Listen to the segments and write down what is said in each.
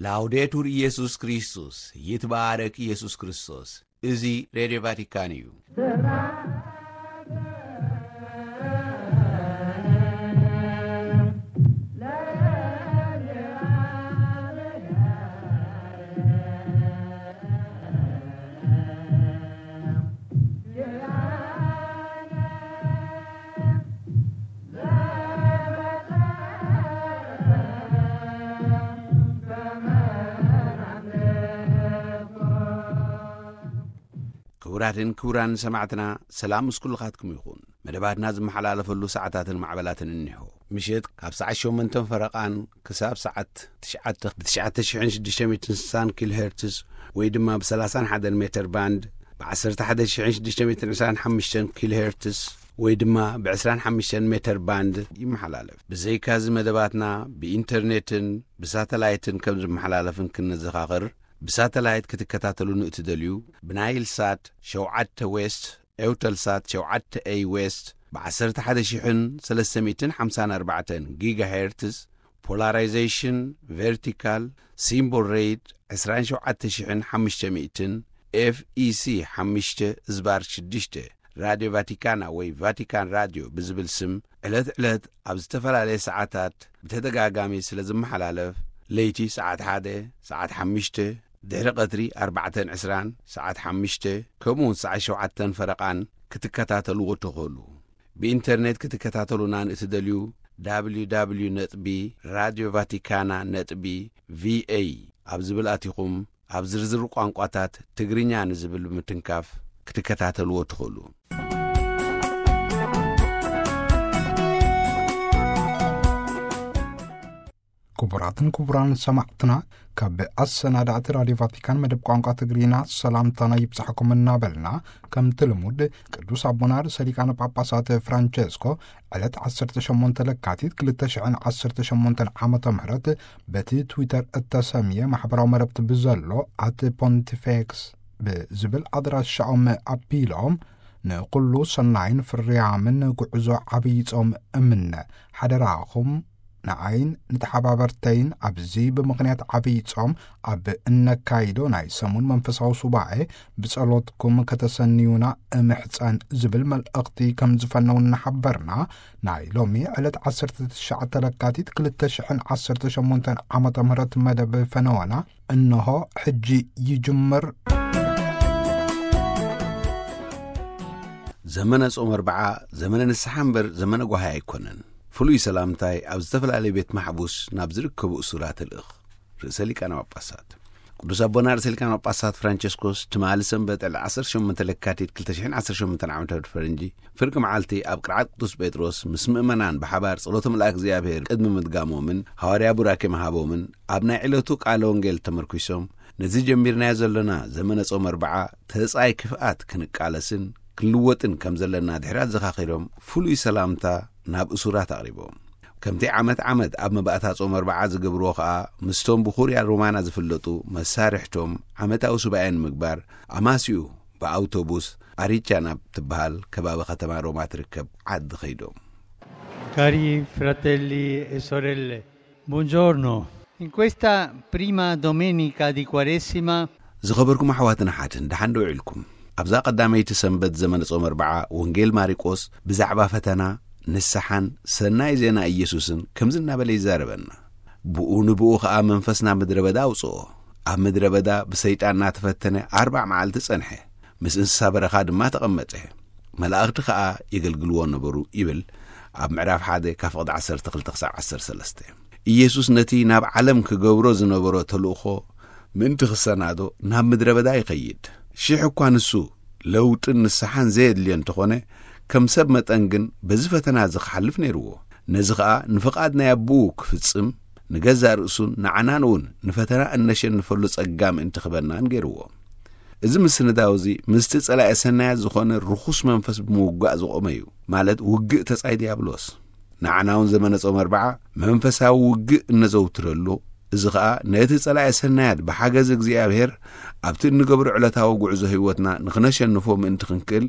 ላውዴቱር ኢየሱስ ክርስቶስ፣ ይትባረክ ኢየሱስ ክርስቶስ። እዚ ሬድዮ ቫቲካን እዩ። ክቡራትን ክቡራን ሰማዕትና፣ ሰላም ምስ ኩልኻትኩም ይኹን። መደባትና ዝመሓላለፈሉ ሰዓታትን ማዕበላትን እኒሆ። ምሸት ካብ ሰዓት ሸሞንተን ፈረቓን ክሳብ ሰዓት ትሽዓተ ብ ትሽዓተ ሽሕን ሽዱሽተ ሚእትን ስሳን ኪሎ ሄርትዝ ወይ ድማ ብ ሰላሳን ሓደን ሜተር ባንድ፣ ብ ዓሰርተ ሓደ ሽሕን ሽዱሽተ ሚእትን ዕስራን ሓሙሽተን ኪሎ ሄርትዝ ወይ ድማ ብ ዕስራን ሓሙሽተን ሜተር ባንድ ይመሓላለፍ። ብዘይካዚ መደባትና ብኢንተርኔትን ብሳተላይትን ከም ዝመሓላለፍን ክንዘኻኽር፣ ብሳተላይት ክትከታተሉን እትደልዩ፣ ብናይል ሳት ሸውዓተ ዌስት፣ ኤውተል ሳት ሸውዓተ ኤይ ዌስት፣ ብ ዓሰርተ ሓደ ሽሕን ሰለስተ ሚእትን ሓምሳን ኣርባዕተን ጊጋ ሄርትዝ፣ ፖላራይዜሽን ቨርቲካል፣ ሲምቦል ሬት ዕስራን ሸውዓተ ሽሕን ሓሙሽተ ሚእትን፣ ኤፍ ኢ ሲ ሓሙሽተ ዝባር ሽዱሽተ፣ ራድዮ ቫቲካና ወይ ቫቲካን ራድዮ ብዝብል ስም ዕለት ዕለት ኣብ ዝተፈላለየ ሰዓታት ብተደጋጋሚ ስለ ዝመሓላለፍ፣ ለይቲ ሰዓት ሓደ፣ ሰዓት ሓሙሽተ፣ ድሕሪ ቀትሪ ኣርባዕተን ዕስራን፣ ሰዓት ሓሙሽተ፣ ከምኡውን ሰዓት ሸውዓተን ፈረቓን ክትከታተልዎ ትኽእሉ። ብኢንተርኔት ክትከታተሉና ንእትደልዩ፣ www ነጥቢ ራድዮ ቫቲካና ነጥቢ ቪኤ ኣብ ዝብል ኣቲኹም፣ ኣብ ዝርዝር ቋንቋታት ትግርኛ ንዝብል ብምትንካፍ ክትከታተልዎ ትኽእሉ። ክቡራትን ክቡራን ሰማዕትና፣ ካብ ኣሰናዳእቲ ራድዮ ቫቲካን መደብ ቋንቋ ትግርኛ ሰላምታና ይብጻሕኩም እናበልና፣ ከምቲ ልሙድ ቅዱስ ኣቦና ርእሰ ሊቃነ ጳጳሳት ፍራንቸስኮ ዕለት ዓሰርተ ሸሞንተ ለካቲት ክልተ ሽሕን ዓሰርተ ሸሞንተን ዓመተ ምህረት በቲ ትዊተር እተሰምየ ማሕበራዊ መረብቲ ብዘሎ ኣት ፖንቲፌክስ ብዝብል ኣድራሻኦም ኣቢሎም፣ ንኹሉ ሰናይን ፍርያምን ጉዕዞ ዓብዪ ጾም እምነ። ሓደራኹም ንዓይን ንተሓባበርተይን ኣብዚ ብምኽንያት ዓብዪ ጾም ኣብ እነካይዶ ናይ ሰሙን መንፈሳዊ ሱባኤ ብጸሎትኩም ከተሰንዩና እምሕጸን ዝብል መልእኽቲ ከም ዝፈነው እናሓበርና፣ ናይ ሎሚ ዕለት ዓሰርተ ትሽዓተ ለካቲት ክልተ ሽሕን ዓሰርተ ሸሞንተን ዓመተ ምህረት መደብ ፈነወና እንሆ ሕጂ ይጅምር። ዘመነ ጾም ኣርብዓ ዘመነ ንስሓ እምበር ዘመነ ጓሃይ ኣይኮነን። ፍሉይ ሰላምታይ ኣብ ዝተፈላለዩ ቤት ማሕቡስ ናብ ዝርከቡ እሱራት እልእኽ። ርእሰ ሊቃነ ጳጳሳት ቅዱስ ኣቦና ርእሰ ሊቃነ ጳጳሳት ፍራንቸስኮስ ትማሊ ሰንበት ዕለት ዓሰርተ ሸሞንተ ለካቲት ክልተ ሽሕን ዓሰርተ ሸሞንተን ዓመተ ምህረት ፈረንጂ ፍርቂ መዓልቲ ኣብ ቅርዓት ቅዱስ ጴጥሮስ ምስ ምእመናን ብሓባር ጸሎተ መልኣክ እግዚኣብሔር ቅድሚ ምድጋሞምን ሃዋርያ ቡራኬ ምሃቦምን ኣብ ናይ ዕለቱ ቃለ ወንጌል ተመርኲሶም፣ ነዚ ጀሚርናዮ ዘሎና ዘመነ ጾም ኣርብዓ ተጻይ ክፍኣት ክንቃለስን ክንልወጥን ከም ዘለና ድሕሪ ኣዘኻኺሮም፣ ፍሉይ ሰላምታ ናብ እሱራት ኣቕሪቦም። ከምቲ ዓመት ዓመት ኣብ መባእታ ጾም ኣርብዓ ዝገብርዎ ኸኣ፣ ምስቶም ብኹርያ ሮማና ዝፍለጡ መሳርሕቶም ዓመታዊ ሱባኤ ንምግባር ኣማስዩ ብኣውቶቡስ ኣሪቻ ናብ ትበሃል ከባቢ ከተማ ሮማ ትርከብ ዓዲ ኸይዶም። Cari fratelli e sorelle, buongiorno. In questa prima domenica di Quaresima ዝኸበርኩም ኣሕዋትን ኣሓትን፣ ደሓን ዶ ውዒልኩም? ኣብዛ ቀዳመይቲ ሰንበት ዘመነ ጾም ኣርብዓ፣ ወንጌል ማርቆስ ብዛዕባ ፈተና፣ ንስሓን ሰናይ ዜና ኢየሱስን ከምዚ እናበለ ይዛረበና። ብኡ ንብኡ ኸኣ መንፈስ ናብ ምድረ በዳ ኣውጽኦ። ኣብ ምድረ በዳ ብሰይጣን እናተፈተነ ኣርባዕ መዓልቲ ጸንሐ። ምስ እንስሳ በረኻ ድማ ተቐመጠ። መላእኽቲ ኸኣ የገልግልዎ ነበሩ ይብል ኣብ ምዕራፍ ሓደ ካብ ፍቕዲ ዓሰርተ ክልተ ክሳብ ዓሰርተ ሰለስተ። ኢየሱስ ነቲ ናብ ዓለም ክገብሮ ዝነበሮ ተልእኾ ምእንቲ ክሰናዶ ናብ ምድረ በዳ ይኸይድ። ሽሕ እኳ ንሱ ለውጥን ንስሓን ዘየድልዮ እንተኾነ፣ ከም ሰብ መጠን ግን በዚ ፈተና እዚ ክሓልፍ ነይርዎ። ነዚ ኸኣ ንፍቓድ ናይ ኣቦኡ ክፍጽም፣ ንገዛእ ርእሱን ንዓናን እውን ንፈተና እነሸንፈሉ ጸጋ ምእንቲ ክበናን ገይርዎ። እዚ ምስንዳው እዚ ምስቲ ጸላኢ ሰናያት ዝኾነ ርኹስ መንፈስ ብምውጋእ ዝቖመ እዩ፣ ማለት ውግእ ተጻይ ዲያብሎስ። ንዓና እውን ዘመነ ጾም ኣርብዓ መንፈሳዊ ውግእ እነዘውትረሉ፣ እዚ ኸኣ ነቲ ጸላኢ ሰናያት ብሓገዝ እግዚኣብሔር ኣብቲ እንገብሮ ዕለታዊ ጉዕዞ ህይወትና ንኽነሸንፎ ምእንቲ ክንክእል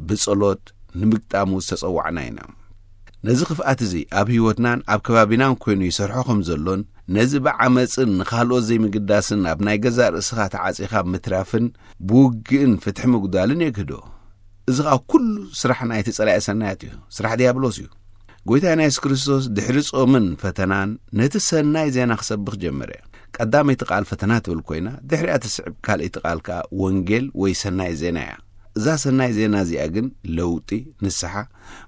ብጸሎት ንምግጣሙ ዝተጸዋዕና ኢና። ነዚ ክፍኣት እዚ ኣብ ህይወትናን ኣብ ከባቢናን ኮይኑ ይሰርሖ ከም ዘሎን፣ ነዚ ብዓመጽን ንኻልኦት ዘይምግዳስን ኣብ ናይ ገዛእ ርእስኻ ተዓጺኻ ምትራፍን ብውግእን ፍትሒ ምጉዳልን የግህዶ። እዚ ኸኣ ኩሉ ስራሕ ናይቲ ጸላኢ ሰናያት እዩ፣ ስራሕ ዲያብሎስ እዩ። ጎይታና የሱስ ክርስቶስ ድሕሪ ጾምን ፈተናን ነቲ ሰናይ ዜና ክሰብኽ ጀመረ። ቀዳመይቲ ቃል ፈተና ትብል ኮይና፣ ድሕሪኣ ትስዕብ ካልኣይቲ ቃል ከኣ ወንጌል ወይ ሰናይ ዜና እያ። እዛ ሰናይ ዜና እዚኣ ግን ለውጢ፣ ንስሓ፣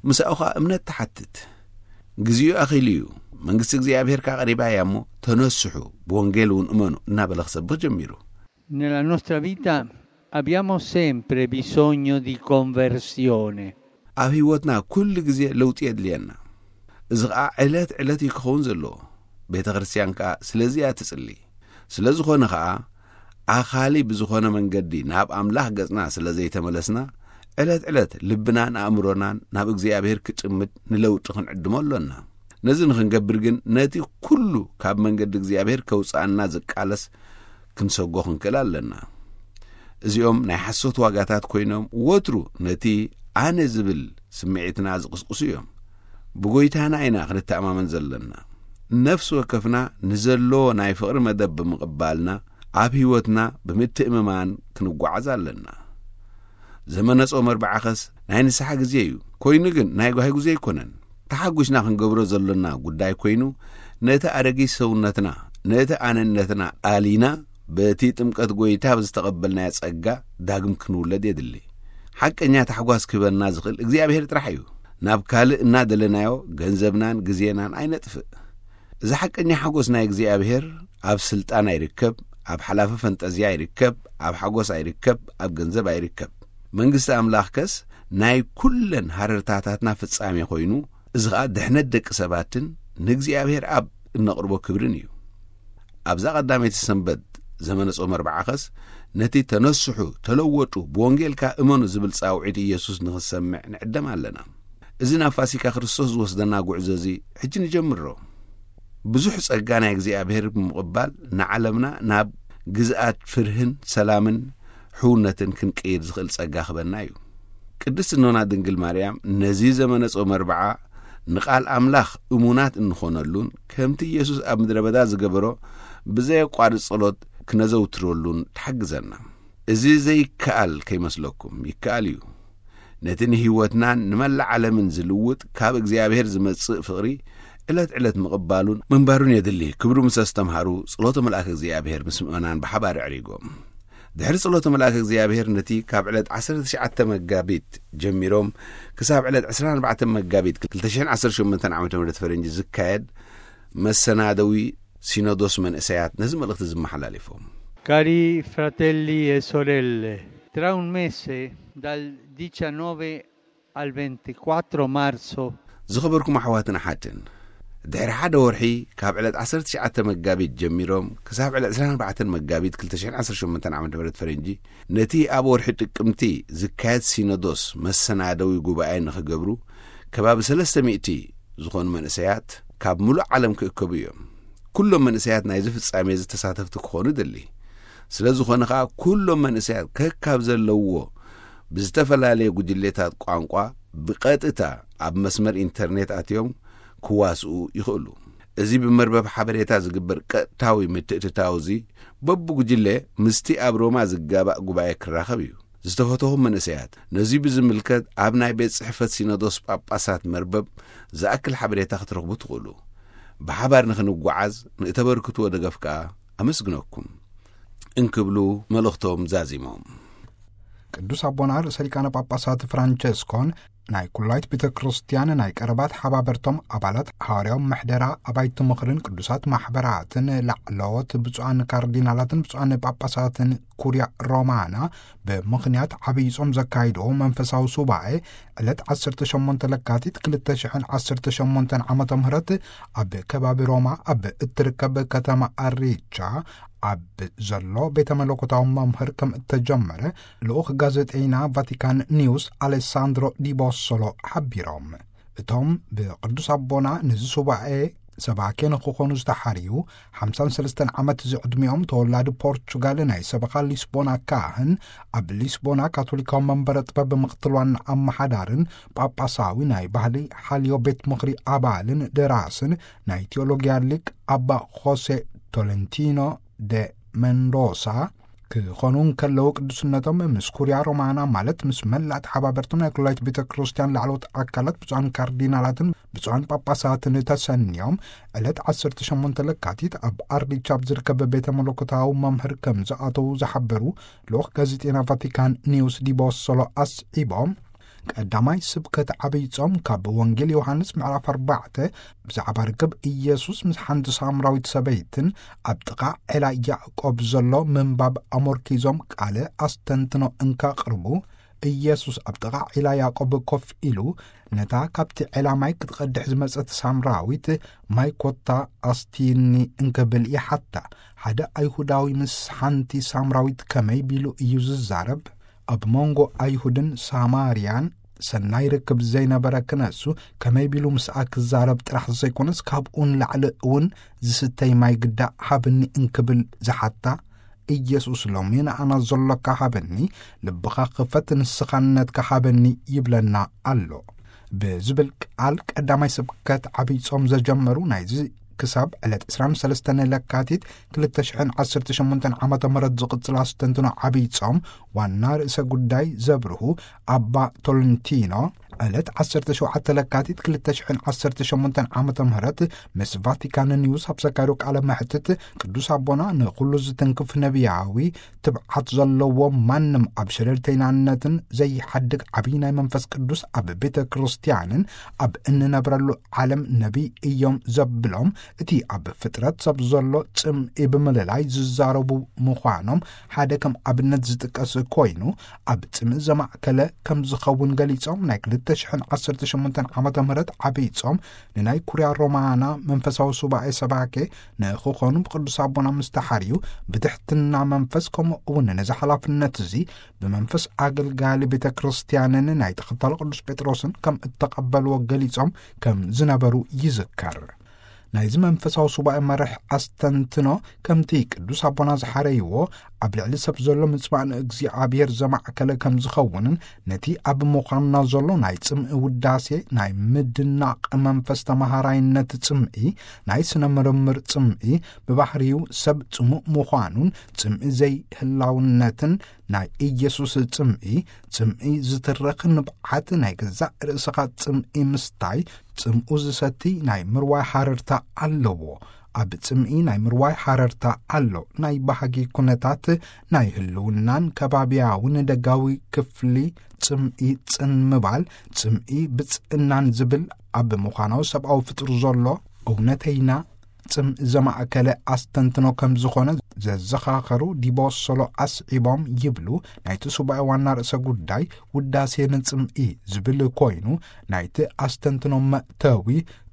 ምስኣኡ ኸኣ እምነት ትሓትት። ግዜኡ ኣኺሉ እዩ፣ መንግስቲ እግዚኣብሔር ከኣ ቀሪባ እያ እሞ፣ ተነስሑ፣ ብወንጌል እውን እመኑ እናበለ ክሰብኽ ጀሚሩ። Nella nostra vita abbiamo sempre bisogno di conversione. ኣብ ህይወትና ኩሉ ግዜ ለውጢ የድልየና። እዚ ኸኣ ዕለት ዕለት እዩ ክኸውን ዘለዎ። ቤተ ክርስቲያን ከኣ ስለዚ እያ ትጽሊ። ስለ ዝኾነ ኸኣ ኣኻሊ ብዝኾነ መንገዲ ናብ ኣምላኽ ገጽና ስለ ዘይተመለስና፣ ዕለት ዕለት ልብናን ኣእምሮናን ናብ እግዚኣብሔር ክጥምት ንለውጢ ክንዕድሞ ኣሎና። ነዚ ንኽንገብር ግን ነቲ ኩሉ ካብ መንገዲ እግዚኣብሔር ከውጽኣና ዝቃለስ ክንሰጎ ክንክእል ኣለና። እዚኦም ናይ ሓሶት ዋጋታት ኮይኖም ወትሩ ነቲ ኣነ ዝብል ስምዒትና ዝቕስቅሱ እዮም። ብጎይታና ኢና ክንተኣማመን ዘለና። ነፍሲ ወከፍና ንዘሎ ናይ ፍቕሪ መደብ ብምቕባልና ኣብ ህይወትና ብምትእምማን ክንጓዓዝ ኣለና። ዘመነ ጾም ኣርብዓኸስ ናይ ንስሓ ግዜ እዩ። ኮይኑ ግን ናይ ጓሂ ግዜ ኣይኮነን። ተሓጒስና ክንገብሮ ዘሎና ጉዳይ ኮይኑ፣ ነቲ ኣረጊት ሰውነትና፣ ነቲ ኣነነትና ኣሊና፣ በቲ ጥምቀት ጎይታ ብዝተቐበልናዮ ጸጋ ዳግም ክንውለድ የድሊ። ሓቀኛ ታሕጓስ ክህበና ዝኽእል እግዚኣብሔር ጥራሕ እዩ። ናብ ካልእ እናደለናዮ ገንዘብናን ግዜናን ኣይነጥፍእ። እዚ ሓቀኛ ሓጎስ ናይ እግዚኣብሔር ኣብ ስልጣን ኣይርከብ፣ ኣብ ሓላፊ ፈንጠዝያ ኣይርከብ፣ ኣብ ሓጎስ ኣይርከብ፣ ኣብ ገንዘብ ኣይርከብ። መንግስቲ ኣምላኽከስ ናይ ኩለን ሃረርታታትና ፍጻሜ ኮይኑ፣ እዚ ኸኣ ድሕነት ደቂ ሰባትን ንእግዚኣብሔር ኣብ እነቕርቦ ክብርን እዩ። ኣብዛ ቀዳመይቲ ሰንበት ዘመነ ጾም ኣርብዓኸስ ነቲ ተነስሑ፣ ተለወጡ፣ ብወንጌልካ እመኑ ዝብል ጻውዒት ኢየሱስ ንኽንሰምዕ ንዕደም ኣለና። እዚ ናብ ፋሲካ ክርስቶስ ዝወስደና ጉዕዞ እዚ ሕጂ ንጀምሮ። ብዙሕ ጸጋ ናይ እግዚኣብሔር ብምቕባል ንዓለምና ናብ ግዝኣት ፍርህን ሰላምን ሕውነትን ክንቅይር ዝኽእል ጸጋ ክበና እዩ። ቅድስት እኖና ድንግል ማርያም ነዚ ዘመነ ጾም ኣርብዓ ንቓል ኣምላኽ እሙናት እንኾነሉን ከምቲ ኢየሱስ ኣብ ምድረ በዳ ዝገበሮ ብዘየቋርጽ ጸሎት ክነዘውትረሉን ትሓግዘና። እዚ ዘይከኣል ከይመስለኩም፣ ይከኣል እዩ። ነቲ ንህይወትናን ንመላእ ዓለምን ዝልውጥ ካብ እግዚኣብሔር ዝመጽእ ፍቕሪ ዕለት ዕለት ምቕባሉን ምንባሩን የድሊ። ክብሩ ምስ ኣስተምሃሩ ጸሎተ መልኣክ እግዚኣብሔር ምስ ምእመናን ብሓባር ኣዕሪጎም። ድሕሪ ጸሎተ መልኣክ እግዚኣብሔር ነቲ ካብ ዕለት ዓሰርተ ትሽዓተ መጋቢት ጀሚሮም ክሳብ ዕለት ዕስራን ኣርባዕተን መጋቢት ክልተ ሽሕን ዓሰርተ ሸሞንተን ዓመተ ምህረት ፈረንጂ ዝካየድ መሰናደዊ ሲኖዶስ መንእሰያት ነዚ መልእኽቲ ዝመሓላሊፎም። Cari fratelli e sorelle, tra un mese, dal diciannove al ventiquattro marzo, ዝኸበርኩም ኣሕዋትን ኣሓትን፣ ድሕሪ ሓደ ወርሒ ካብ ዕለት ዓሰርተ ትሽዓተ መጋቢት ጀሚሮም ክሳብ ዕለት ዕስራን ኣርባዕተን መጋቢት ክልተ ሽሕን ዓሰርተ ሸሞንተን ዓመተ ምህረት ፈረንጂ ነቲ ኣብ ወርሒ ጥቅምቲ ዝካየድ ሲኖዶስ መሰናደዊ ጉባኤ ንኽገብሩ ከባቢ ሰለስተ ሚእቲ ዝኾኑ መንእሰያት ካብ ምሉእ ዓለም ክእከቡ እዮም። ኩሎም መንእሰያት ናይዚ ፍጻሜ እዚ ተሳተፍቲ ክኾኑ ይደሊ። ስለ ዝኾነ ኸኣ ኩሎም መንእሰያት ከካብ ዘለውዎ ብዝተፈላለየ ጉጅሌታት ቋንቋ ብቐጥታ ኣብ መስመር ኢንተርኔት ኣትዮም ክዋስኡ ይኽእሉ። እዚ ብመርበብ ሓበሬታ ዝግበር ቀጥታዊ ምትእትታው እዚ በብጉጅለ ምስቲ ኣብ ሮማ ዝጋባእ ጉባኤ ክራኸብ እዩ። ዝተፈተኹም መንእሰያት፣ ነዚ ብዝምልከት ኣብ ናይ ቤት ጽሕፈት ሲኖዶስ ጳጳሳት መርበብ ዝኣክል ሓበሬታ ክትረኽቡ ትኽእሉ። ብሓባር ንኽንጓዓዝ ንእተበርክትዎ ደገፍ ከኣ ኣመስግነኩም እንክብሉ መልእኽቶም ዛዚሞም። ቅዱስ ኣቦና ርእሰ ሊቃነ ጳጳሳት ፍራንቸስኮን ናይ ኩላይት ቤተ ክርስቲያን ናይ ቀረባት ሓባበርቶም ኣባላት፣ ሃዋርያዊ ምሕደራ ኣባይቲ ምኽርን ቅዱሳት ማሕበራትን ላዕለዎት ብፁዓን ካርዲናላትን ብፁዓን ጳጳሳትን ኩርያ ሮማና ብምኽንያት ዓብዪ ጾም ዘካይድዎ መንፈሳዊ ሱባኤ ዕለት ዓሰርተ ሸሞንተ ለካቲት ክልተ ሽሕን ዓሰርተ ሸሞንተን ዓመተ ምህረት ኣብ ከባቢ ሮማ ኣብ እትርከብ ከተማ ኣሪቻ ኣብ ዘሎ ቤተ መለኮታዊ መምህር ከም እተጀመረ ልኡኽ ጋዜጠይና ቫቲካን ኒውስ ኣሌሳንድሮ ዲቦሶሎ ሓቢሮም። እቶም ብቅዱስ ኣቦና ነዚ ሱባኤ ሰባኬ ንክኾኑ ዝተሓርዩ ሓምሳን ሰለስተን ዓመት ዝዕድሚኦም ተወላዲ ፖርቹጋል ናይ ሰበኻ ሊስቦና ካህን፣ ኣብ ሊስቦና ካቶሊካዊ መንበረ ጥበብ ምኽትል ዋና ኣመሓዳርን ጳጳሳዊ ናይ ባህሊ ሓልዮ ቤት ምኽሪ ኣባልን ደራስን ናይ ቴዎሎጊያ ሊቅ ኣባ ኾሴ ቶለንቲኖ ደ መንዶሳ ክኾኑ እንከለዉ፣ ቅዱስነቶም ምስ ኩርያ ሮማና፣ ማለት ምስ መላእ ተሓባበርቶም ናይ ኩላይት ቤተ ክርስቲያን ላዕለዎት ኣካላት፣ ብፁዓን ካርዲናላትን ብፁዓን ጳጳሳትን ተሰንዮም ዕለት ዓሰርተ ሸሞንተ ለካቲት ኣብ ኣርዲቻ ኣብ ዝርከብ ቤተ መለኮታዊ መምህር ከም ዝኣተዉ ዝሓበሩ ልኡኽ ጋዜጤና ቫቲካን ኒውስ ዲቦሶሎ ኣስዒቦም፣ ቀዳማይ ስብከት ዓብይ ጾም ካብ ወንጌል ዮሃንስ ምዕራፍ ኣርባዕተ ብዛዕባ ርክብ ኢየሱስ ምስ ሓንቲ ሳምራዊት ሰበይትን ኣብ ጥቓ ዔላ ያዕቆብ ዘሎ ምንባብ ኣሞርኪዞም ቃለ ኣስተንትኖ እንካቕርቡ፣ ኢየሱስ ኣብ ጥቓ ዒላ ያዕቆብ ኮፍ ኢሉ፣ ነታ ካብቲ ዒላ ማይ ክትቐድሕ ዝመጸት ሳምራዊት፣ "ማይ ኮታ ኣስትይኒ" እንክብል ይሓታ። ሓደ ኣይሁዳዊ ምስ ሓንቲ ሳምራዊት ከመይ ቢሉ እዩ ዝዛረብ? ኣብ መንጎ ኣይሁድን ሳማርያን ሰናይ ርክብ ዘይነበረ ክነሱ፣ ከመይ ቢሉ ምስኣ ክዛረብ ጥራሕ ዘይኮነስ፣ ካብኡ ንላዕሊ እውን ዝስተይ ማይ ግዳ ሃብኒ እንክብል ዝሓታ፣ ኢየሱስ ሎሚ ንኣና ዘሎካ ሃበኒ፣ ልብኻ ክፈት፣ ንስኻነትካ ሃበኒ ይብለና ኣሎ ብዝብል ቃል ቀዳማይ ስብከት ዓብይ ጾም ዘጀመሩ፣ ናይዚ ክሳብ ዕለት ዕስራን ሰለስተን ለካቲት ክልተ ሽሕን ዓሰርተ ሸሞንተን ዓመተ ምህረት ዝቕጽል ኣስተንትኖ ዓብይ ጾም ዋና ርእሰ ጉዳይ ዘብርሁ ኣባ ቶለንቲኖ፣ ዕለት ዓሰርተ ሸውዓተ ለካቲት ክልተ ሽሕን ዓሰርተ ሸሞንተን ዓመተ ምህረት ምስ ቫቲካን ኒውስ ኣብ ዘካየዶ ቃለ መሕትት፣ ቅዱስ ኣቦና ንኹሉ ዝትንክፍ ነቢያዊ ትብዓት ዘለዎ፣ ማንም ኣብ ሸለልተይናነትን ዘይሓድግ ዓብዪ ናይ መንፈስ ቅዱስ ኣብ ቤተ ክርስቲያንን ኣብ እንነብረሉ ዓለም ነቢይ እዮም ዘብሎም፣ እቲ ኣብ ፍጥረት ሰብ ዘሎ ጽምኢ ብምልላይ ዝዛረቡ ምዃኖም ሓደ ከም ኣብነት ዝጥቀስ ኮይኑ፣ ኣብ ጽምኢ ዘማእከለ ከም ዝኸውን ገሊጾም፣ ናይ ክልተ ሽሕን ዓሰርተ ሸሞንተን ዓመተ ምህረት ዓብይ ጾም ንናይ ኩርያ ሮማና መንፈሳዊ ሱባኤ ሰባኬ ንክኾኑ ብቅዱስ ኣቦና ምስተሓርዩ፣ ብትሕትና መንፈስ፣ ከምኡ እውን ነዚ ሓላፍነት እዚ ብመንፈስ ኣገልጋሊ ቤተ ክርስቲያንን ናይ ተኸታሊ ቅዱስ ጴጥሮስን ከም እተቐበልዎ ገሊጾም ከም ዝነበሩ ይዝከር። ናይዚ መንፈሳዊ ሱባኤ መርሕ ኣስተንትኖ፣ ከምቲ ቅዱስ ኣቦና ዝሓረይዎ፣ ኣብ ልዕሊ ሰብ ዘሎ ምጽባእ ንእግዚኣብሔር ዘማእከለ ከም ዝኸውንን፣ ነቲ ኣብ ምዃንና ዘሎ ናይ ጽምኢ ውዳሴ፣ ናይ ምድናቕ መንፈስ ተመሃራይነት ጽምኢ፣ ናይ ስነ ምርምር ጽምኢ፣ ብባህሪኡ ሰብ ጽሙእ ምዃኑን ጽምኢ ዘይህላውነትን፣ ናይ ኢየሱስ ጽምኢ፣ ጽምኢ ዝትርኽ ንብዓት፣ ናይ ገዛእ ርእስኻ ጽምኢ ምስታይ፣ ጽምኡ ዝሰቲ ናይ ምርዋይ ሃረርታ ኣለዎ። ኣብ ጽምኢ ናይ ምርዋይ ሃረርታ ኣሎ። ናይ ባህጊ ኩነታት ናይ ህልውናን ከባብያውን ደጋዊ ክፍሊ ጽምኢ ጽን ምባል፣ ጽምኢ ብጽእናን ዝብል ኣብ ምዃናዊ ሰብኣዊ ፍጡር ዘሎ እውነተይና ጽምኢ ዘማእከለ ኣስተንትኖ ከም ዝኾነ ዘዘኻኸሩ ዲቦሶሎ ኣስዒቦም ይብሉ፣ ናይቲ ሱባኤ ዋና ርእሰ ጉዳይ ውዳሴ ንጽምኢ ዝብል ኮይኑ፣ ናይቲ ኣስተንትኖ መእተዊ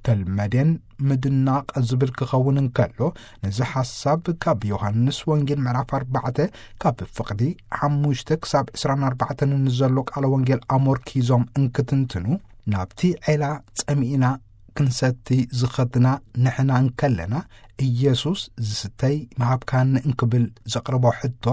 ተልመዴን ምድናቕ ዝብል ክኸውን እንከሎ፣ ነዚ ሓሳብ ካብ ዮሃንስ ወንጌል ምዕራፍ ኣርባዕተ ካብ ፍቕዲ ሓሙሽተ ክሳብ ዕስራን ኣርባዕተን ንዘሎ ቃለ ወንጌል ኣሞርኪዞም እንክትንትኑ፣ ናብቲ ዔላ ጸሚእና ክንሰቲ ዝኸድና ንሕና እንከለና፣ ኢየሱስ "ዝስተይ ምሃብካኒ" እንክብል ዘቕርቦ ሕቶ፣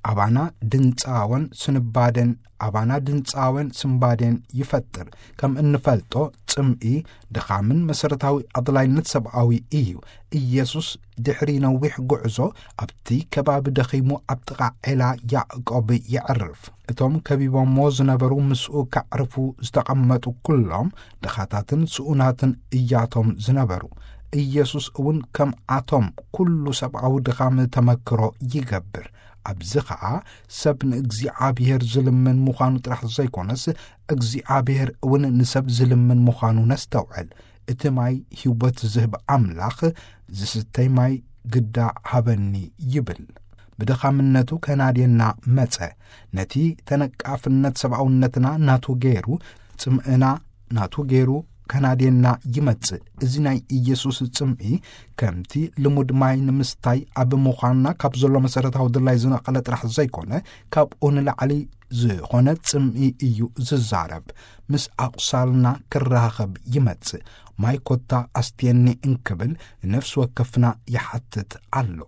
ኣባና ድንጻወን ስንባደን፣ ኣባና ድንጻወን ስንባዴን ይፈጥር። ከም እንፈልጦ፣ ጽምኢ ድኻምን መሰረታዊ ኣድላይነት ሰብኣዊ እዩ። ኢየሱስ ድሕሪ ነዊሕ ጉዕዞ ኣብቲ ከባቢ ደኺሙ ኣብ ጥቓ ዔላ ያዕቆብ የዕርፍ። እቶም ከቢቦሞ ዝነበሩ ምስኡ ከዕርፉ ዝተቐመጡ ኩሎም ድኻታትን ስኡናትን እያቶም ዝነበሩ። ኢየሱስ እውን ከምኣቶም ኩሉ ሰብኣዊ ድኻም ተመክሮ ይገብር። ኣብዚ ኸኣ ሰብ ንእግዚኣብሔር ዝልምን ምዃኑ ጥራሕ ዘይኮነስ፣ እግዚኣብሔር እውን ንሰብ ዝልምን ምዃኑ ነስተውዕል። እቲ ማይ ህይወት ዝህብ ኣምላኽ፣ "ዝስተይ ማይ ግዳ ሃበኒ" ይብል። ብድኻምነቱ ከናድየና መጸ። ነቲ ተነቃፍነት ሰብኣውነትና ናቱ ገይሩ፣ ጽምእና ናቱ ገይሩ፣ ከናድየና ይመጽእ። እዚ ናይ ኢየሱስ ጽምኢ ከምቲ ልሙድ ማይ ንምስታይ ኣብ ምዃንና ካብ ዘሎ መሰረታዊ ድላይ ዝነቐለ ጥራሕ ዘይኮነ፣ ካብኡ ንላዕሊ ዝኾነ ጽምኢ እዩ ዝዛረብ። ምስ ኣቑሳልና ክረኻኸብ ይመጽእ። ማይ ኮታ ኣስትየኒ እንክብል ንነፍሲ ወከፍና ይሓትት ኣሎ።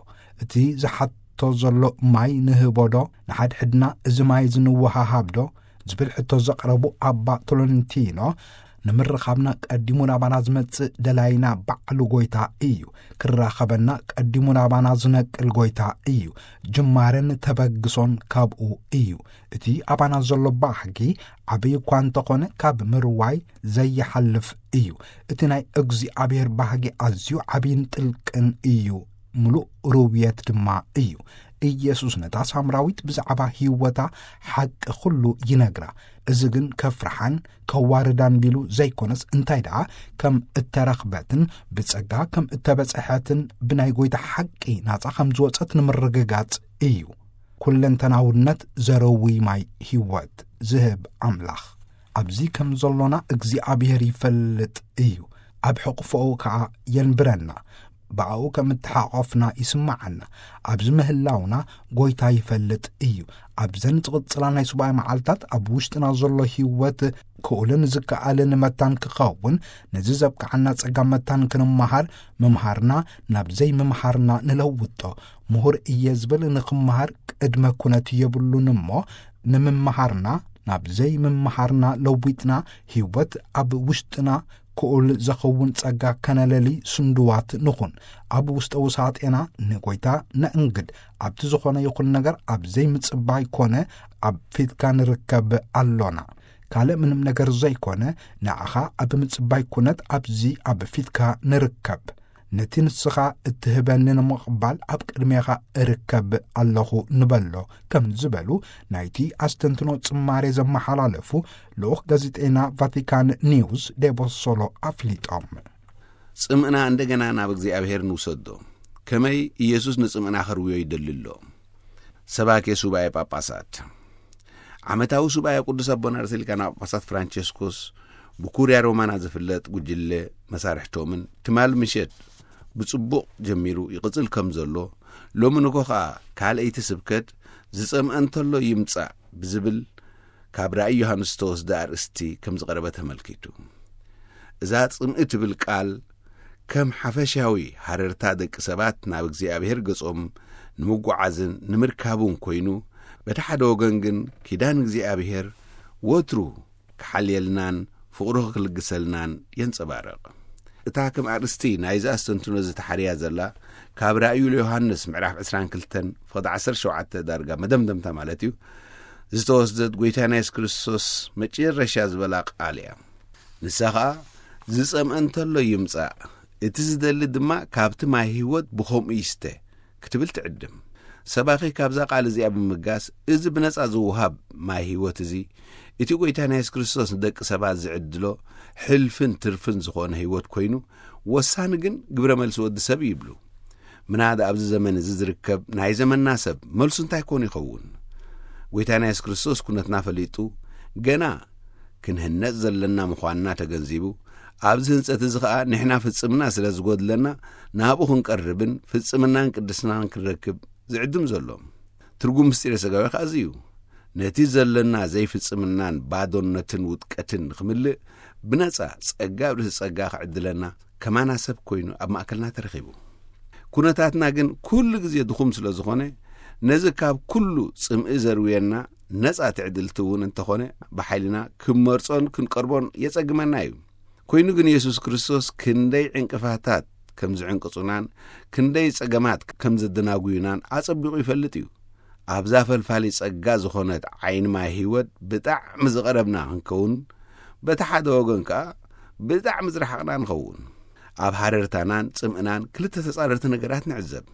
እቲ ዝሓቶ ዘሎ ማይ ንህቦዶ? ንሓድሕድና እዚ ማይ እዚ ንወሃሃብዶ? ዝብል ሕቶ ዘቕረቡ ኣባ ቶሎንቲኖ፣ ንምርኻብና ቀዲሙ ናባና ዝመጽእ ደላይና ባዕሉ ጎይታ እዩ። ክራኸበና ቀዲሙ ናባና ዝነቅል ጎይታ እዩ። ጅማረን ተበግሶን ካብኡ እዩ። እቲ ኣባና ዘሎ ባህጊ ዓብዪ እኳ እንተኾነ፣ ካብ ምርዋይ ዘይሓልፍ እዩ። እቲ ናይ እግዚኣብሔር ባህጊ ኣዝዩ ዓብይን ጥልቅን እዩ። ምሉእ ርውየት ድማ እዩ። ኢየሱስ ነታ ሳምራዊት ብዛዕባ ህይወታ ሓቂ ኩሉ ይነግራ። እዚ ግን ከፍርሓን ከዋርዳን ቢሉ ዘይኮነስ፣ እንታይ ደኣ ከም እተረኽበትን ብጸጋ ከም እተበጽሐትን ብናይ ጎይታ ሓቂ ናጻ ከም ዝወጸት ንምርግጋጽ እዩ። ኩለንተናውነት ዘረዊ ማይ ህይወት ዝህብ ኣምላኽ ኣብዚ ከም ዘሎና እግዚኣብሔር ይፈልጥ እዩ። ኣብ ሕቕፎኡ ከኣ የንብረና። ብኣኡ ከም እተሓቖፍና ይስምዓና። ኣብዚ ምህላውና ጎይታ ይፈልጥ እዩ። ኣብዘን ዝቕጽላ ናይ ሱባኤ መዓልታት ኣብ ውሽጥና ዘሎ ህይወት ክኡልን ዝከኣልን መታን ክኸውን፣ ነዚ ዘብቅዓና ጸጋ መታን ክንመሃር፣ ምምሃርና ናብ ዘይምምሃርና ንለውጦ። ምሁር እየ ዝብል ንኽመሃር ቅድመ ኩነት የብሉን እሞ፣ ንምምሃርና ናብ ዘይምምሃርና ለዊጥና፣ ህይወት ኣብ ውሽጥና ክኡል ዘኸውን ጸጋ ከነለሊ ስንድዋት ንኹን። ኣብ ውሽጠ ውሳጤና ንጎይታ ነእንግድ። ኣብቲ ዝኾነ ይኹን ነገር ኣብ ዘይምጽባይ ኮነ ኣብ ፊትካ ንርከብ ኣሎና። ካልእ ምንም ነገር ዘይኮነ፣ ንዓኻ ኣብ ምጽባይ ኩነት ኣብዚ ኣብ ፊትካ ንርከብ። ነቲ ንስኻ እትህበኒ ንምቕባል ኣብ ቅድሜኻ እርከብ ኣለኹ ንበሎ፣ ከም ዝበሉ ናይቲ ኣስተንትኖ ጽማሬ ዘመሓላለፉ ልኡኽ ጋዜጠኛ ቫቲካን ኒውስ ዴቦሶሎ ኣፍሊጦም። ጽምእና እንደገና ናብ እግዚኣብሔር ንውሰዶ። ከመይ ኢየሱስ ንጽምእና ከርውዮ ይደሊ ኣሎ? ሰባኬ ሱባኤ ጳጳሳት። ዓመታዊ ሱባኤ ቅዱስ ኣቦና ርእሰ ሊቃነ ጳጳሳት ፍራንቸስኮስ ብኩርያ ሮማና ዝፍለጥ ጉጅለ መሳርሕቶምን ትማል ምሸት ብጽቡቕ ጀሚሩ ይቕጽል ከም ዘሎ፣ ሎሚ ንግሆ ኸኣ ካልኣይቲ ስብከት ዝጸምአ እንተሎ ይምጻእ ብዝብል ካብ ራእይ ዮሃንስ ዝተወስደ ኣርእስቲ ከም ዝቐረበ ተመልኪቱ። እዛ ጽምኢ ትብል ቃል ከም ሓፈሻዊ ሃረርታ ደቂ ሰባት ናብ እግዚኣብሔር ገጾም ንምጉዓዝን ንምርካቡን ኮይኑ፣ በቲ ሓደ ወገን ግን ኪዳን እግዚኣብሔር ወትሩ ክሓልየልናን ፍቕሩ ክልግሰልናን የንጸባርቕ። እታ ከም ኣርእስቲ ናይዚ ኣስተንትኖ ዝተሓርያ ዘላ፣ ካብ ራእዩ ለዮሃንስ ምዕራፍ ዕስራን ክልተን ፍቕዲ ዓሰርተ ሸውዓተ ዳርጋ መደምደምታ ማለት እዩ፣ ዝተወስደት ጎይታና የሱስ ክርስቶስ መጨረሻ ዝበላ ቃል እያ። ንሳ ኸኣ፣ "ዝጸምአ እንተሎ ይምጻእ፣ እቲ ዝደሊ ድማ ካብቲ ማይ ህይወት ብኸምኡ ይስተ" ክትብል ትዕድም። ሰባኺ ካብዛ ቃል እዚኣ ብምጋስ፣ እዚ ብነጻ ዝወሃብ ማይ ህይወት እዚ፣ እቲ ጎይታ ናይ የሱስ ክርስቶስ ንደቂ ሰባት ዝዕድሎ ሕልፍን ትርፍን ዝኾነ ህይወት ኮይኑ፣ ወሳኒ ግን ግብረ መልሲ ወዲ ሰብ እዩ ይብሉ። ምናዳ ኣብዚ ዘመን እዚ ዝርከብ ናይ ዘመንና ሰብ መልሱ እንታይ ኮን ይኸውን? ጎይታና የሱስ ክርስቶስ ኩነትና ፈሊጡ፣ ገና ክንህነጽ ዘለና ምዃንና ተገንዚቡ፣ ኣብዚ ህንጸት እዚ ኸኣ ንሕና ፍጽምና ስለ ዝጎድለና፣ ናብኡ ክንቀርብን ፍጽምናን ቅድስናን ክንረክብ ዝዕድም ዘሎ። ትርጉም ምስጢረ ሥጋዌ ኸኣ እዚ እዩ። ነቲ ዘለና ዘይፍጽምናን ባዶነትን ውድቀትን ንኽምልእ፣ ብነጻ ጸጋ ኣብ ርእሲ ጸጋ ክዕድለና ከማና ሰብ ኮይኑ ኣብ ማእከልና ተረኺቡ። ኩነታትና ግን ኩሉ ግዜ ድኹም ስለ ዝኾነ፣ ነዚ ካብ ኩሉ ጽምኢ ዘርውየና ነጻ ትዕድልቲ እውን እንተኾነ፣ ብሓይልና ክንመርጾን ክንቀርቦን የጸግመና እዩ። ኮይኑ ግን የሱስ ክርስቶስ ክንደይ ዕንቅፋታት ከም ዝዕንቅጹናን ክንደይ ጸገማት ከም ዘደናጉዩናን ኣጸቢቑ ይፈልጥ እዩ። ኣብዛ ፈልፋሊ ጸጋ ዝኾነት ዓይኒ ማይ ህይወት ብጣዕሚ ዝቐረብና ክንከውን፣ በቲ ሓደ ወገን ከኣ ብጣዕሚ ዝረሓቕና ንኸውን። ኣብ ሃረርታናን ጽምእናን ክልተ ተጻረርቲ ነገራት ንዕዘብ።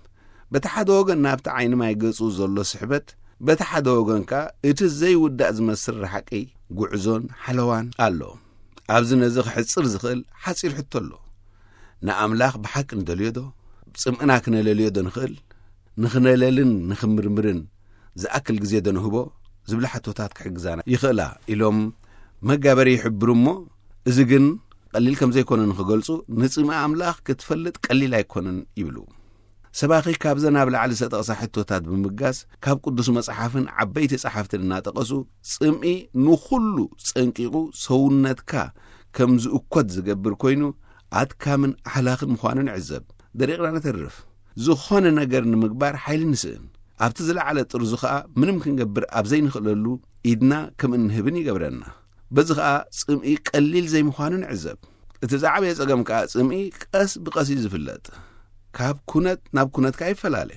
በቲ ሓደ ወገን ናብቲ ዓይኒ ማይ ገጹ ዘሎ ስሕበት፣ በቲ ሓደ ወገን ከኣ እቲ ዘይውዳእ ዝመስል ርሓቂ ጉዕዞን ሓለዋን ኣሎ። ኣብዚ ነዚ ክሕጽር ዝኽእል ሓጺር ሕቶ ኣሎ። ንኣምላኽ ብሓቂ ንደልዮ ዶ? ጽምእና ክነለልዮ ዶ ንኽእል? ንኽነለልን ንኽምርምርን ዝኣክል ግዜ ዶ ንህቦ? ዝብላ ሕቶታት ክሕግዛና ይኽእላ ኢሎም መጋበሪ ይሕብሩ እሞ፣ እዚ ግን ቀሊል ከም ዘይኮነ ንኽገልጹ፣ ንጽምኢ ኣምላኽ ክትፈልጥ ቀሊል ኣይኮነን ይብሉ። ሰባኺ ካብዘን ኣብ ላዕሊ ዝተጠቕሳ ሕቶታት ብምብጋስ፣ ካብ ቅዱስ መጽሓፍን ዓበይቲ ጸሓፍትን እናጠቐሱ፣ ጽምኢ ንኹሉ ጸንቂቑ ሰውነትካ ከም ዝእኮት ዝገብር ኮይኑ፣ ኣድካምን ኣሕላኽን ምዃኑ ንዕዘብ። ደሪቕና ነተርፍ። ዝኾነ ነገር ንምግባር ሓይሊ ንስእን። ኣብቲ ዝለዓለ ጥርዙ ኸኣ ምንም ክንገብር ኣብ ዘይንኽእለሉ ኢድና ከም እንህብን ይገብረና። በዚ ኸኣ ጽምኢ ቀሊል ዘይምዃኑ ንዕዘብ። እቲ ዝዓበየ ጸገም ከኣ ጽምኢ ቀስ ብቐስ እዩ ዝፍለጥ። ካብ ኩነት ናብ ኩነት ከኣ ይፈላለ።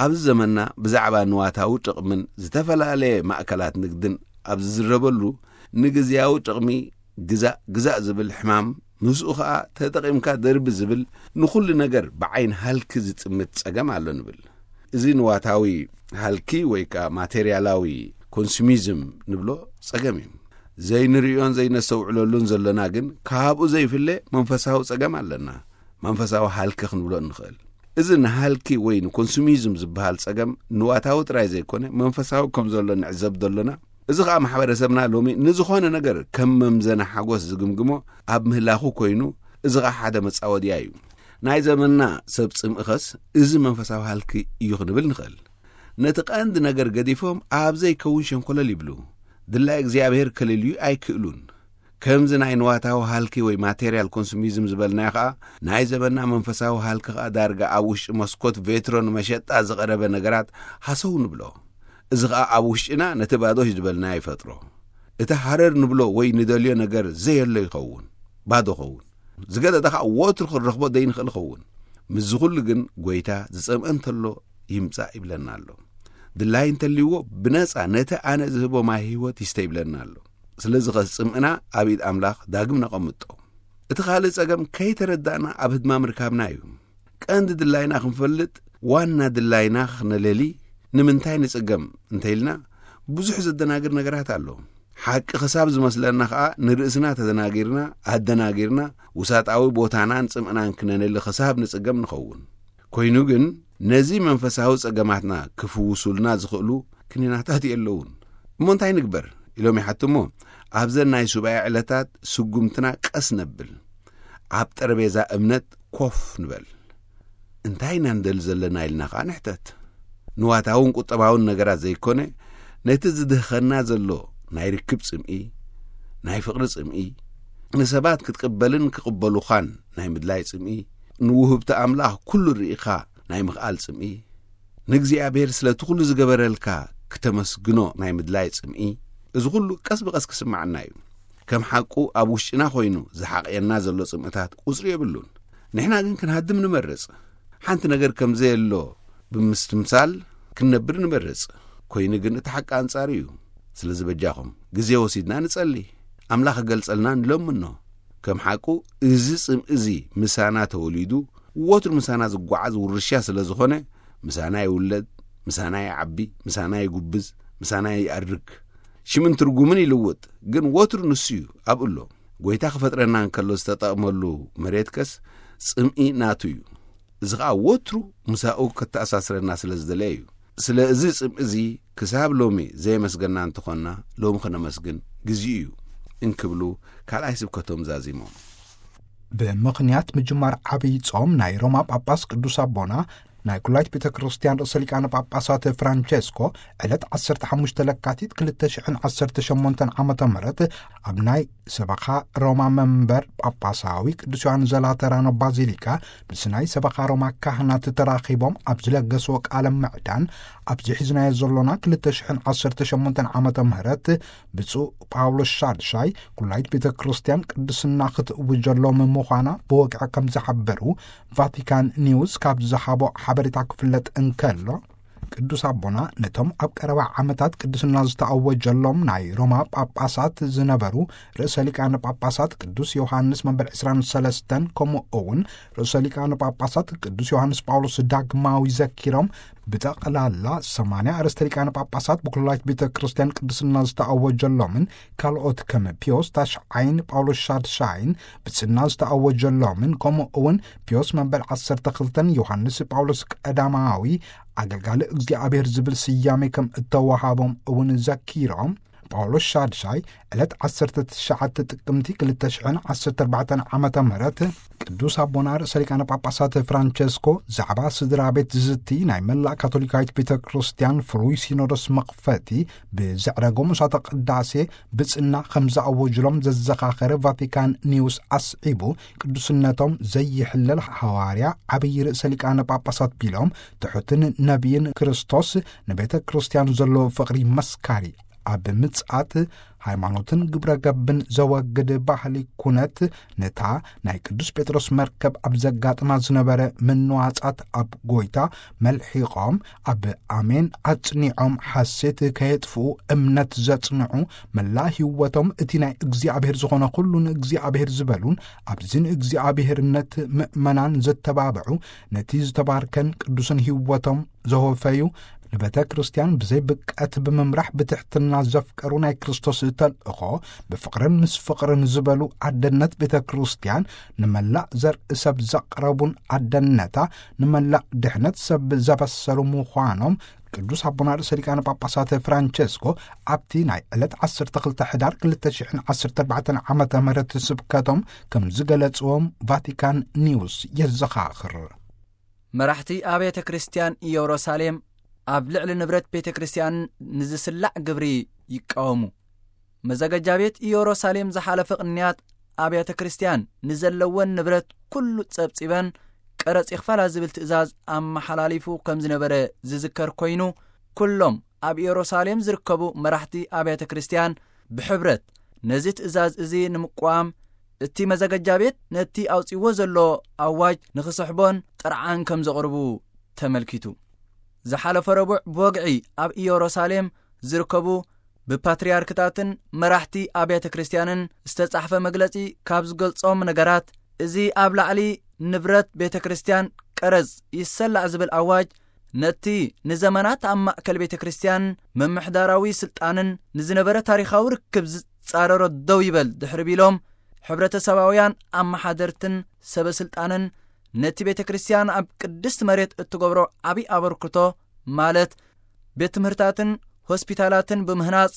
ኣብዚ ዘመንና ብዛዕባ ንዋታዊ ጥቕምን ዝተፈላለየ ማእከላት ንግድን ኣብ ዝዝረበሉ፣ ንግዝያዊ ጥቕሚ ግዛእ ግዛእ ዝብል ሕማም፣ ምስኡ ኸኣ ተጠቒምካ ደርቢ ዝብል ንኹሉ ነገር ብዓይን ሃልኪ ዝጥምት ጸገም ኣሎ ንብል። እዚ ንዋታዊ ሃልኪ ወይ ከኣ ማቴርያላዊ ኮንሱሚዝም ንብሎ ጸገም እዩ። ዘይንርእዮን ዘይነስተውዕለሉን ዘሎና ግን ካብኡ ዘይፍለ መንፈሳዊ ጸገም ኣለና። መንፈሳዊ ሃልኪ ክንብሎ እንኽእል። እዚ ንሃልኪ ወይ ንኮንሱሚዝም ዝበሃል ጸገም ንዋታዊ ጥራይ ዘይኮነ መንፈሳዊ ከም ዘሎ ንዕዘብ ዘሎና። እዚ ኸኣ ማሕበረሰብና ሎሚ ንዝኾነ ነገር ከም መምዘና ሓጎስ ዝግምግሞ ኣብ ምህላኹ ኮይኑ፣ እዚ ኸኣ ሓደ መጻወድያ እዩ። ናይ ዘመንና ሰብ ጽምእኸስ እዚ መንፈሳዊ ሃልኪ እዩ ክንብል ንኽእል። ነቲ ቀንዲ ነገር ገዲፎም ኣብ ዘይከውን ሸንኮለል ይብሉ። ድላይ እግዚኣብሔር ከልልዩ ኣይክእሉን። ከምዚ ናይ ንዋታዊ ሃልኪ ወይ ማቴርያል ኮንሱሚዝም ዝበልናዮ ኸኣ፣ ናይ ዘመንና መንፈሳዊ ሃልኪ ኸኣ ዳርጋ ኣብ ውሽጢ መስኮት ቬትሮ ንመሸጣ ዝቐረበ ነገራት ሃሰው ንብሎ። እዚ ኸኣ ኣብ ውሽጥና ነቲ ባዶ ዝበልናዮ ይፈጥሮ። እቲ ሃረር ንብሎ ወይ ንደልዮ ነገር ዘየሎ ይኸውን፣ ባዶ ኸውን። ዝገደደ ኸኣ ወትሩ ክንረኽቦ ዘይንኽእል ኸውን። ምስዚ ኹሉ ግን፣ ጐይታ ዝጸምአ እንተሎ ይምጻእ ይብለና ኣሎ። ድላይ እንተልይዎ፣ ብነጻ ነቲ ኣነ ዝህቦ ማይ ህይወት ይስተ ይብለና ኣሎ። ስለዚ ኸስ ጽምእና ኣብ ኢድ ኣምላኽ ዳግም ነቐምጦ። እቲ ካልእ ጸገም ከይተረዳእና ኣብ ህድማ ምርካብና እዩ። ቀንዲ ድላይና ክንፈልጥ፣ ዋና ድላይና ክነለሊ ንምንታይ ንጽገም እንተ ኢልና፣ ብዙሕ ዘደናግር ነገራት ኣሎ። ሓቂ ክሳብ ዝመስለና ኸኣ ንርእስና ተደናጊርና፣ ኣደናጊርና፣ ውሳጣዊ ቦታናን ጽምእናን ክነነሊ ክሳብ ንጽገም ንኸውን። ኮይኑ ግን፣ ነዚ መንፈሳዊ ጸገማትና ክፍውሱልና ዝኽእሉ ክኒናታት የለውን። እሞ እንታይ ንግበር? ኢሎም ይሓቱ እሞ፣ ኣብዘን ናይ ሱባኤ ዕለታት ስጉምትና ቀስ ነብል። ኣብ ጠረጴዛ እምነት ኮፍ ንበል። እንታይ ኢና ንደሊ ዘለና ኢልና ኸኣ ንሕተት። ንዋታውን ቁጠባውን ነገራት ዘይኮነ፣ ነቲ ዝድህኸና ዘሎ ናይ ርክብ ጽምኢ፣ ናይ ፍቕሪ ጽምኢ፣ ንሰባት ክትቅበልን ክቕበሉኻን ናይ ምድላይ ጽምኢ፣ ንውህብቲ ኣምላኽ ኩሉ ርኢኻ ናይ ምኽኣል ጽምኢ፣ ንእግዚኣብሔር ስለቲ ኩሉ ዝገበረልካ ክተመስግኖ ናይ ምድላይ ጽምኢ፣ እዚ ኩሉ ቀስ ብቐስ ክስምዓና እዩ። ከም ሓቁ ኣብ ውሽጥና ኮይኑ ዝሓቕየና ዘሎ ጽምእታት ቁጽሪ የብሉን። ንሕና ግን ክንሃድም ንመርጽ። ሓንቲ ነገር ከም ዘየሎ ብምስትምሳል ክንነብር ንመርጽ። ኮይኑ ግን እቲ ሓቂ ኣንጻሩ እዩ። ስለዚ በጃኹም ግዜ ወሲድና ንጸሊ። ኣምላኽ ክገልጸልና ንለምኖ። ከም ሓቁ እዚ ጽምኢ እዚ ምሳና ተወሊዱ ወትሩ ምሳና ዝጓዓዝ ውርሻ ስለ ዝኾነ፣ ምሳና ይውለድ፣ ምሳና ይዓቢ፣ ምሳና ይጉብዝ፣ ምሳና ይኣርግ። ሽምን ትርጉምን ይልውጥ፣ ግን ወትሩ ንሱ እዩ ኣብኡ ኣሎ። ጐይታ ክፈጥረና እንከሎ ዝተጠቕመሉ መሬት ከስ ጽምኢ ናቱ እዩ። እዚ ኸኣ ወትሩ ምሳኡ ከተኣሳስረና ስለ ዝደለየ እዩ። ስለ እዚ ጽምኢ እዚ ክሳብ ሎሚ ዘየመስገና እንተኾንና፣ ሎሚ ኸነመስግን ግዜኡ እዩ እንክብሉ ካልኣይ ስብከቶም ዛዚሞም። ብምኽንያት ምጅማር ዓብዪ ጾም ናይ ሮማ ጳጳስ ቅዱስ ኣቦና ናይ ኩላይት ቤተ ክርስቲያን ርእሰ ሊቃነ ጳጳሳት ፍራንቸስኮ ዕለት ዓሰርተ ሓሙሽተ ለካቲት ክልተ ሽሕን ዓሰርተ ሸሞንተን ዓመተ ምህረት ኣብ ናይ ሰበኻ ሮማ መንበር ጳጳሳዊ ቅዱስ ዮሃንስ ዘላተራኖ ባዚሊካ ምስ ናይ ሰበኻ ሮማ ካህናት ተራኺቦም ኣብ ዝለገስዎ ቃለ ምዕዳን፣ ኣብዚ ሒዝናዮ ዘሎና ክልተ ሽሕን ዓሰርተ ሸሞንተን ዓመተ ምህረት ብፁዕ ጳውሎስ ሻድሻይ ኩላይት ቤተ ክርስቲያን ቅድስና ክትእውጀሎም ምዃና ብወግዒ ከም ዝሓበሩ ቫቲካን ኒውስ ካብ ዝሃቦ ሓበሬታ ክፍለጥ እንከሎ፣ ቅዱስ ኣቦና ነቶም ኣብ ቀረባ ዓመታት ቅድስና ዝተኣወጀሎም ናይ ሮማ ጳጳሳት ዝነበሩ ርእሰ ሊቃነ ጳጳሳት ቅዱስ ዮሃንስ መበል ዕስራን ሰለስተን፣ ከምኡ እውን ርእሰ ሊቃነ ጳጳሳት ቅዱስ ዮሃንስ ጳውሎስ ዳግማዊ ዘኪሮም፣ ብጠቕላላ ሰማንያ ኣርእስተ ሊቃነ ጳጳሳት ብኩላይት ቤተ ክርስቲያን ቅድስና ዝተኣወጀሎምን ካልኦት ከም ፒዮስ ታሽዓይን ጳውሎስ ሻድሻይን ብጽና ዝተኣወጀሎምን፣ ከምኡ እውን ፒዮስ መበል ዓሰርተ ክልተን ዮሃንስ ጳውሎስ ቀዳማዊ ኣገልጋሊ እግዚኣብሔር ዝብል ስያሜ ከም እተዋሃቦም እውን ዘኪሮም፣ ጳውሎስ ሻድሻይ ዕለት ዓሰርተ ትሽዓተ ጥቅምቲ ክልተ ሽሕን ዓሰርተ ኣርባዕተን ዓመተ ምህረት ቅዱስ ኣቦና ርእሰ ሊቃነ ጳጳሳት ፍራንቸስኮ ዛዕባ ስድራ ቤት ዝዝቲ ናይ መላእ ካቶሊካዊት ቤተ ክርስቲያን ፍሉይ ሲኖዶስ መኽፈቲ ብዘዕረጎ ምሳተ ቅዳሴ ብጽና ከም ዘኣወጅሎም ዘዘኻኸረ ቫቲካን ኒውስ ኣስዒቡ፣ ቅዱስነቶም ዘይሕለል ሃዋርያ ዓብዪ ርእሰ ሊቃነ ጳጳሳት ቢሎም ትሑትን ነቢይን ክርስቶስ ንቤተ ክርስቲያን ዘለዎ ፍቕሪ መስካሪ ኣብ ምጽኣት ሃይማኖትን ግብረ ገብን ዘወግድ ባህሊ ኩነት ነታ ናይ ቅዱስ ጴጥሮስ መርከብ ኣብ ዘጋጥማ ዝነበረ ምንዋጻት ኣብ ጎይታ መልሒቖም ኣብ ኣሜን ኣጽኒዖም ሓሴት ከየጥፍኡ እምነት ዘጽንዑ መላ ህይወቶም እቲ ናይ እግዚኣብሔር ዝኾነ ኩሉ ንእግዚኣብሔር ዝበሉን ኣብዚ ንእግዚኣብሔርነት ምእመናን ዘተባብዑ ነቲ ዝተባርከን ቅዱስን ህይወቶም ዘወፈዩ ንቤተ ክርስቲያን ብዘይ ብቀት ብምምራሕ ብትሕትና ዘፍቀሩ ናይ ክርስቶስ ተልእኾ ብፍቕርን ምስ ፍቕርን ዝበሉ ኣደነት ቤተ ክርስቲያን ንመላእ ዘርኢ ሰብ ዘቕረቡን ኣደነታ ንመላእ ድሕነት ሰብ ዘበሰሩ ምዃኖም ቅዱስ ኣቦና ርእሰ ሊቃነ ጳጳሳት ፍራንቸስኮ ኣብቲ ናይ ዕለት ዓሰርተ ክልተ ሕዳር ክልተ ሽሕን ዓሰርተ ኣርባዕተን ዓመተ ምህረት ስብከቶም ከም ዝገለጽዎም ቫቲካን ኒውስ የዘኻኽር። መራሕቲ ኣብያተ ክርስቲያን ኢየሩሳሌም ኣብ ልዕሊ ንብረት ቤተ ክርስቲያን ንዝስላዕ ግብሪ ይቃወሙ። መዘገጃ ቤት ኢየሩሳሌም ዝሓለፈ ቅንያት ኣብያተ ክርስቲያን ንዘለወን ንብረት ኩሉ ጸብጺበን ቀረጽ ይኽፈላ ዝብል ትእዛዝ ኣመሓላሊፉ ከም ዝነበረ ዝዝከር ኮይኑ፣ ኩሎም ኣብ ኢየሩሳሌም ዝርከቡ መራሕቲ ኣብያተ ክርስቲያን ብሕብረት ነዚ ትእዛዝ እዚ ንምቅዋም፣ እቲ መዘገጃ ቤት ነቲ ኣውጺዎ ዘሎ ኣዋጅ ንኽስሕቦን ጥርዓን ከም ዘቕርቡ ተመልኪቱ። ዝሓለፈ ረቡዕ ብወግዒ ኣብ ኢየሩሳሌም ዝርከቡ ብፓትርያርክታትን መራሕቲ ኣብያተ ክርስቲያንን ዝተጻሕፈ መግለጺ ካብ ዝገልጾም ነገራት፣ እዚ ኣብ ላዕሊ ንብረት ቤተ ክርስቲያን ቀረጽ ይሰላዕ ዝብል ኣዋጅ፣ ነቲ ንዘመናት ኣብ ማእከል ቤተ ክርስቲያን ምምሕዳራዊ ስልጣንን ንዝነበረ ታሪኻዊ ርክብ ዝጻረሮ ደው ይበል ድሕሪ ቢሎም፣ ሕብረተሰባውያን ኣመሓደርትን ሰበ ስልጣንን ነቲ ቤተ ክርስቲያን ኣብ ቅድስቲ መሬት እትገብሮ ዓብዪ ኣበርክቶ፣ ማለት ቤት ትምህርታትን ሆስፒታላትን ብምህናጽ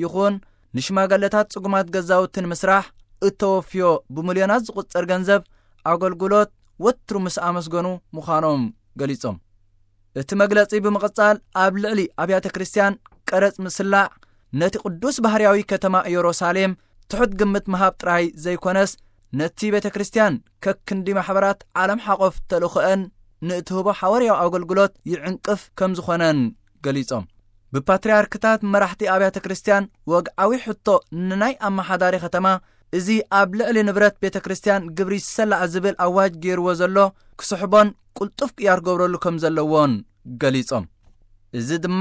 ይኹን ንሽማገለታት ጽጉማት ገዛውትን ምስራሕ እተወፍዮ ብሚልዮናት ዝቑጸር ገንዘብ ኣገልግሎት ወትሩ ምስ ኣመስገኑ ምዃኖም ገሊጾም። እቲ መግለጺ ብምቕጻል፣ ኣብ ልዕሊ ኣብያተ ክርስቲያን ቀረጽ ምስላዕ ነቲ ቅዱስ ባህርያዊ ከተማ ኢየሩሳሌም ትሑት ግምት ምሃብ ጥራይ ዘይኮነስ፣ ነቲ ቤተ ክርስቲያን ከክንዲ ማሕበራት ዓለም ሓቆፍ ተልእኾአን ንእትህቦ ሓዋርያዊ ኣገልግሎት ይዕንቅፍ ከም ዝኾነን ገሊጾም። ብፓትርያርክታት መራሕቲ ኣብያተ ክርስቲያን ወግዓዊ ሕቶ ንናይ ኣመሓዳሪ ከተማ፣ እዚ ኣብ ልዕሊ ንብረት ቤተ ክርስቲያን ግብሪ ይሰላዕ ዝብል ኣዋጅ ገይርዎ ዘሎ ክስሕቦን ቅልጡፍ ቅያር ክገብረሉ ከም ዘለዎን ገሊጾም። እዚ ድማ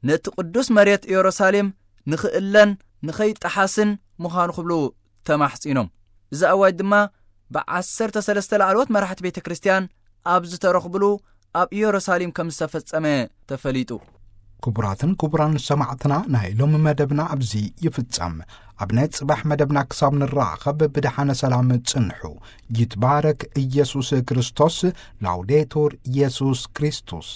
ነቲ ቅዱስ መሬት ኢየሩሳሌም ንኽእለን ንኸይጠሓስን ምዃኑ ክብሉ ተማሕጺኖም። እዚ ኣዋጅ ድማ ብዓሰርተ ሰለስተ ላዕለዎት መራሕቲ ቤተ ክርስቲያን ኣብ ዝተረኽብሉ ኣብ ኢየሩሳሌም ከም ዝተፈጸመ ተፈሊጡ። ክቡራትን ክቡራን ሰማዕትና፣ ናይ ሎሚ መደብና ኣብዚ ይፍጸም። ኣብ ናይ ጽባሕ መደብና ክሳብ ንራኸብ ብደሓነ ሰላም ጽንሑ። ይትባረክ ኢየሱስ ክርስቶስ። ላውዴቱር ኢየሱስ ክርስቶስ።